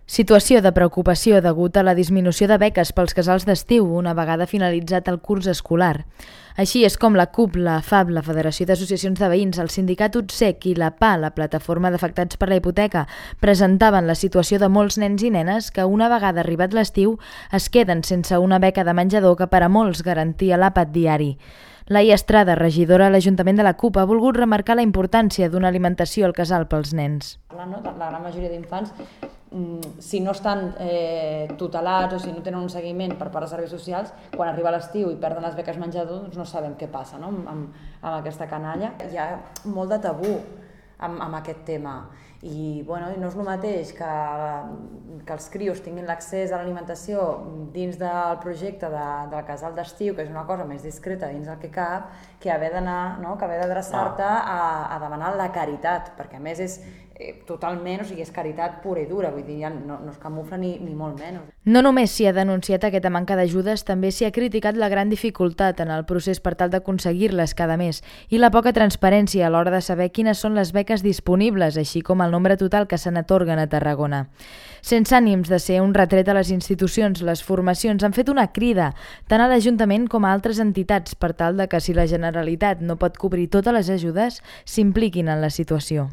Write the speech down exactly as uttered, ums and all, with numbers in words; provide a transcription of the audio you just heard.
Situació de preocupació degut a la disminució de beques pels casals d'estiu una vegada finalitzat el curs escolar. Així és com la C U P, la F A B, la Federació d'Associacions de Veïns, el Sindicat U T S E C i la P A, la Plataforma d'Afectats per la Hipoteca, presentaven la situació de molts nens i nenes que una vegada arribat l'estiu es queden sense una beca de menjador que per a molts garantia l'àpat diari. Laia Estrada, regidora a l'Ajuntament de la C U P, ha volgut remarcar la importància d'una alimentació al casal pels nens. La gran majoria d'infants, si no estan eh, tutelats o si no tenen un seguiment per part de serveis socials, quan arriba l'estiu i perden les beques menjador, doncs no sabem què passa, no? amb, amb aquesta canalla. Hi ha molt de tabú amb, amb aquest tema i bueno, no és el mateix que, que els crios tinguin l'accés a l'alimentació dins del projecte de, del casal d'estiu, que és una cosa més discreta dins del que cap, que haver d'anar, no? que haver d'adreçar-te a, a demanar la caritat, perquè a més és eh, totalment, o sigui, és caritat pura i dura, vull dir, ja no, no es camufla ni, ni molt menys. No només s'hi ha denunciat aquesta manca d'ajudes, també s'hi ha criticat la gran dificultat en el procés per tal d'aconseguir-les cada mes i la poca transparència a l'hora de saber quines són les beques disponibles, així com el nombre total que se n'atorguen a Tarragona. Sense ànims de ser un retret a les institucions, les formacions han fet una crida tant a l'Ajuntament com a altres entitats per tal de que si la Generalitat no pot cobrir totes les ajudes, s'impliquin en la situació.